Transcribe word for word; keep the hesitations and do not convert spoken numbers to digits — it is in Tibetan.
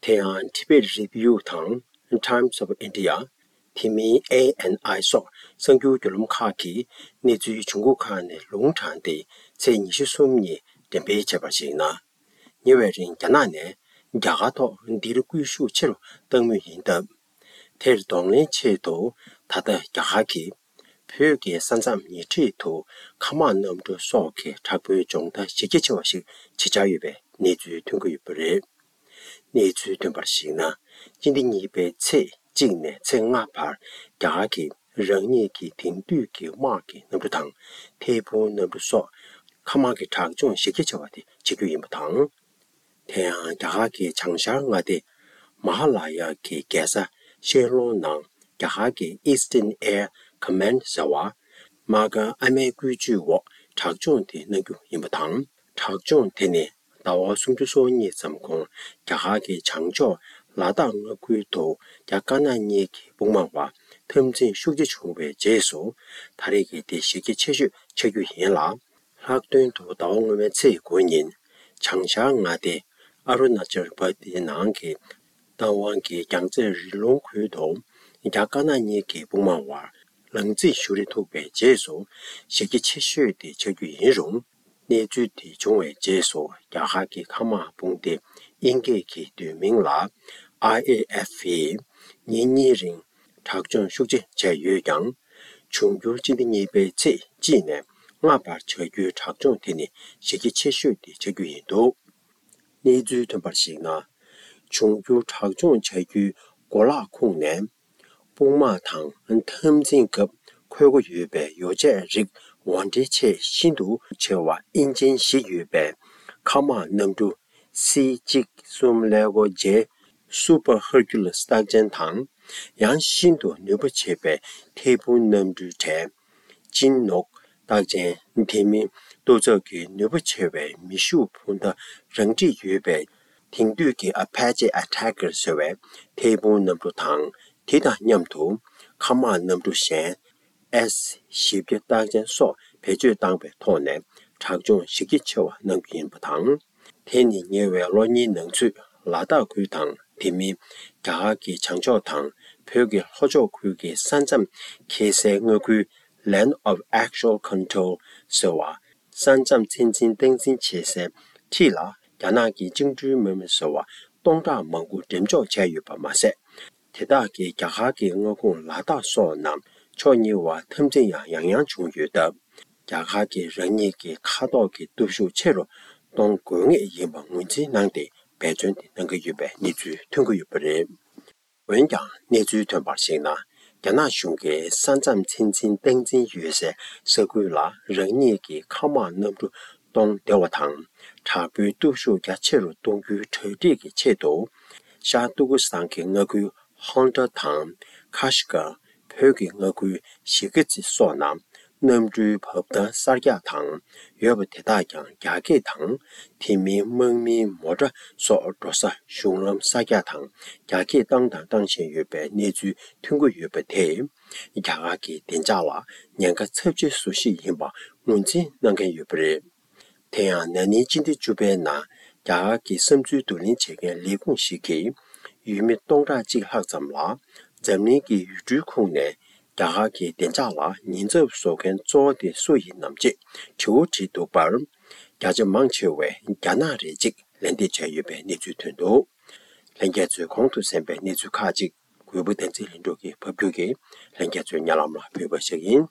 དེ་ཡང་Tibet Review་དང་Times of India། དེ་མིན་ཨེ་ཨེན་ཨའི་སོགས་གསར་འགྱུར་བརྒྱུད་ལམ་ཁག་གིས་གནས་ཚུལ་འབྱུང་ཁུངས་ཁག་ནས་ལུང་དྲངས་ཏེ། ཚེས་ཉི་ཤུ་གསུམ་ཉིན་འགྲེམས་སྤེལ་བྱས་པར་གཞིགས་ན། ཉེ་བའི་རིང་རྒྱ་ནག་ནས་རྒྱ་གར་ཐོག་འདིར་སྐུལ་ཤུགས་ཆེ་རུ་བཏང་མུས་ཡིན་སྟབས། དེར་གདོང་ལེན་ཆེད་དུ་ད་ལྟ་རྒྱ་གར་གྱིས་བོད་ཀྱི་ས་མཚམས་ཉེ་འཁྲིས་དུ་མཁའ་དམག་གནམ་གྲུ་སོགས་ཀྱི་དྲག་པོའི་སྦྱོང་བརྡར་གཞི་རྒྱ་ཆེ་བ་ཞིག་བྱེད་འཆར་ཡོད་པའི་གནས་ཚུལ་ཐོན་གྱི་ཡོད་པ་རེད། གནས་ཚུལ་ཐོན་པར་གཞིགས་ན། སྤྱི་ཟླ་གཉིས་པའི་ཚེས་གཅིག་ནས་ཚེས་ལྔ་བར་རྒྱ་གར་གྱིས་རང་ཉིད་ཀྱི་དེང་དུས་ཀྱི་དམག་གི་གནམ་གྲུ་དང་། ཐད་འཕུར་གནམ་གྲུ་སོགས་མཁའ་དམག་གི་དྲག་སྦྱོང་གཞི་རྒྱ་ཆེ་བ་དེ་བྱེད་རྒྱུ་ཡིན་པ་དང་། དེ་ཡང་རྒྱ་གར་གྱི་བྱང་ཤར་མངའ་སྡེ་མ་ཧ་ལ་ཡ་གི་རྒྱལ་ས་ཤན་ལུང་ནང་རྒྱ་གར་གྱི་Eastern Air Command་ཟེར་བ། དམག་སྒར་ཨ་མའི་བཀོད་ཇུས་འོག་དྲག་སྦྱོང་དེ་གནང་རྒྱུ་ཡིན་པ་དང་། དྲག་སྦྱོང་དེ་ནི་ཟླ་བ་སུམ་ཅུ་སོ་གཉིས་ཙམ་གོང་རྒྱ་གར་གྱི་བྱང་ཕྱོགས་ལ་དྭགས་མངའ་ཁུལ་དུ་རྒྱ་དཀར་ནག་གཉིས་ཀྱི་དཔུང་དམག་བར་འཐབ་འཛིང་ཤུགས་ཆེ་བྱུང་བའི་རྗེས་སུ། ད་རེས་ཀྱི་དེ་གཞི་རྒྱ་ཆེ་ཤོས་ཆགས་རྒྱུ་ཡིན་ལ། ལྷག་དོན་དུ་ཟླ་བ་སྔོན་མའི་ཚེས་དགུ་ཉིན། བྱང་ཤར་མངའ་སྡེ་ཨ་རུ་ན་ཅལ་པ་ཏི་ནང་གི་རྟ་དབང་གི་རྒྱང་རྩེད་རི་ལུང་ཁུལ་དུ་རྒྱ་དཀར་ནག་གཉིས་ཀྱི་དཔུང་དམག་བར་ལག་འཛིང་ཤུགས་རེ་ཐུག་པའི་རྗེས་སུ། གཞི་རྒྱ་ཆེ་ཤོས་དེ་ཆགས་རྒྱུ་ཡིན་རུང་། གནས་ཚུལ་དེ་བྱུང་བའི་རྗེས་སུ་རྒྱ་གར་གྱི་མཁའ་དམག་དཔུང་སྡེ་དབྱིན་སྐད་ཀྱི་བསྡུས་མིང་ལ་ཨའི་ཨེ་ཨེཕ་ཡིས་ཉིན་གཉིས་རིང་དྲག་སྦྱོང་ཤུགས་ཆེ་བྱས་ཡོད་ཀྱང་། འབྱུང་འགྱུར་སྤྱི་ཟླ་གཉིས་པའི་ཚེས་གཅིག་ནས་ལྔ་བར་བྱ་རྒྱུའི་དྲག་སྦྱོང་དེ་ནི་གཞི་རྒྱ་ཆེ་ཤོས་དེ་ཆགས་རྒྱུ་ཡིན་འདུག་གནས་ཚུལ་ཐོན་པར་གཞིགས་ན། འབྱུང་འགྱུར་དྲག་སྦྱོང་བྱ་རྒྱུའི་གོ་ལག་ཁུངས་ནས། དཔུང་དམག་དང་འཐབ་འཛིང་སྐབས་འཁོར་སྒོ་ཡོད་པའི་ཡོ་བྱད་རིགས་འོར་འདྲེན་ཆེད་ཤིན་ཏུ་ཆེ་བ་ཨིན་ཇིན་བཞི་ཡོད་པའི་མཁའ་དམག་གནམ་གྲུ་སི་གཅིག་གསུམ་ཀླད་ཀོར་ཇེ་Super Hercules་རྟགས་ཅན་དང་། ཡང་ཤིན་ཏུ་ནུས་པ་ཆེ་བའི་ཐད་འཕུར་གནམ་གྲུའི་གྲས་ཅིན་ནོག་རྟགས་ཅན། དེ་མིན་གཏོ་ཚབ་ཀྱི་ནུས་པ་ཆེ་བའི་མེ་ཤུགས་འཕུར་མདའ་རང་འཁྲིད་ཡོད་པའི་དེང་དུས་ཀྱི་Apache Attacker་ཟེར་བའི་ཐད་འཕུར་གནམ་གྲུ་དང་། དེ་དང་མཉམ་དུ་མཁའ་དམག་གནམ་གྲུ་གཞན་ཨེས་བཞི་བརྒྱ་རྟགས་ཅན་སོགས་བེད་སྤྱོད་བཏང་པའི་ཐོག་ནས་དྲག་སྦྱོང་གཞི་རྒྱ་ཆེ་བ་གནང་རྒྱུ་ཡིན་པ་དང་། དེ་ནི་ཉེ་བའི་ལོ་གཉིས་ནང་ཚུད་ལ་དྭགས་ཁུལ་དང་། དེ་མིན་རྒྱ་གར་གྱི་བྱང་ཕྱོགས་དང་བོད་ཀྱི་ལྷོ་ཕྱོགས་ཁུལ་གྱི་ས་མཚམས་འཁེལ་སའི་མངའ་ཁུལ་Land of Actual Control་ཟེར་བ། ས་མཚམས་ཚད་འཛིན་སྟངས་འཛིན་བྱེད་སའི་འཁྲིས་ལ་རྒྱ་ནག་གི་བཅིངས་འགྲོལ་དམག་མི་ཟེར་བ་སྟོང་ཕྲག་མང་པོ་འགྲེམས་འཇོག་བྱས་ཡོད་པ་མ་ཟད། དེ་དག་གིས་རྒྱ་གར་གྱི་མངའ་ཁོངས་ལ་དྭགས་སོགས་རྣམས་ཕྱོགས་གཉིས་བར་འཐབ་འཛིང་ཡང་ཡང་ཡང་བྱུང་ཡོད་སྟབས། རྒྱ་གར་གྱིས་རང་ཉིད་ཀྱི་མཁའ་ཐོག་གི་སྟོབས་ཤུགས་ཆེ་རུ་གཏོང་དགོས་ངེས་ཡིན་པ་ངོས་འཛིན་གནང་སྟེ་འབད་བརྩོན་དེ་གནང་གི་ཡོད་པའི་གནས་ཚུལ་ཐོན་གྱི་ཡོད་པ་རེད། འོན་ཀྱང་། གནས་ཚུལ་ཐོན་པར་གཞིགས་ན། རྒྱ་ནག་གཞུང་གིས་ས་མཚམས་ཚད་འཛིན་སྟངས་འཛིན་ཡོད་སའི་ས་ཁུལ་ལ་རང་ཉིད་ཀྱི་མཁའ་དམག་གནམ་གྲུ་གཏོང་བདེ་བ་དང་། དྲག་པོའི་སྟོབས་ཤུགས་རྒྱ་ཆེ་རུ་གཏོང་རྒྱུའི་གྲ་སྒྲིག་གི་ཆེད་དུ། ཤར་ཏུར་ཀི་སི་ཐན་གྱི་མངའ་ཁུལ་ཧོན་ཏ་དང་ཁ་ཤི་ཀ། བོད་ཀྱི་མངའ་ཁུལ་གཞིས་ཀ་རྩེ་སོགས་ནང་གནམ་གྲུའི་བབ་ཐང་གསར་རྒྱག་དང་ཡོད་པ་དེ་དག་ཀྱང་རྒྱ་སྐད་དང་། དེ་མིན་དམག་མིའི་མོ་ཊ་སོགས་འགྲོ་ས་གཞུང་ལམ་གསར་རྒྱག་དང་རྒྱ་སྐྱེད་བཏང་དང་བཏང་བཞིན་ཡོད་པའི་གནས་ཚུལ་ཐོན་གྱི་ཡོད་པ་དེས། རྒྱ་གར་གྱི་བདེ་འཇགས་ལ་ཉེན་ཁ་ཚབས་ཆེ་བཟོ་གཞི་ཡིན་པ་ངོས་འཛིན་གནང་མཁན་ཡོད་པ་རེད། དེ་ཡང་ན་ནིང་སྤྱི་ཟླ་བཅུ་པའི་ནང་རྒྱ་གར་གྱི་བསམ་ཚུལ་བསྡུ་ལེན་བྱེད་མཁན་ལས་ཁུངས་ཤིག་གིས། ཡུལ་མི་སྟོང་ཕྲག་གཅིག་ལྷག་ཙམ་ལ་འཛམ་གླིང་གི་ཡུལ་གྲུའི་ཁོངས་ནས་རྒྱ་གར་གྱི་བདེ་འཇགས་ལ་ཉེན་ཚབས་བཟོ་མཁན་གཙོ་བོ་དེ་སུ་ཡིན་ནམ་ཅེས་དྲི་བ་དྲིས་འདུག་པར། བརྒྱ་ཆ་མང་ཆེ་བས་རྒྱ་ནག་རེད་ཅེས་ལན་འདེབས་བྱས་ཡོད་པའི་གནས་ཚུལ་ཐོན་འདུག་ལྷན་རྒྱས་ཚོས་གོང་དུ་གསན་པའི་གནས་ཚུལ་ཁག་ཅིག་གུས་པ་བསྟན་འཛིན་ལྷུན་གྲུབ་ཀྱིས་ཕབ་བསྒྱུར་གྱིས་ལྷན་རྒྱས་ཚོའི་སྙན་ལམ་ལ་ཕུལ་བ་ཞིག་ཡིན།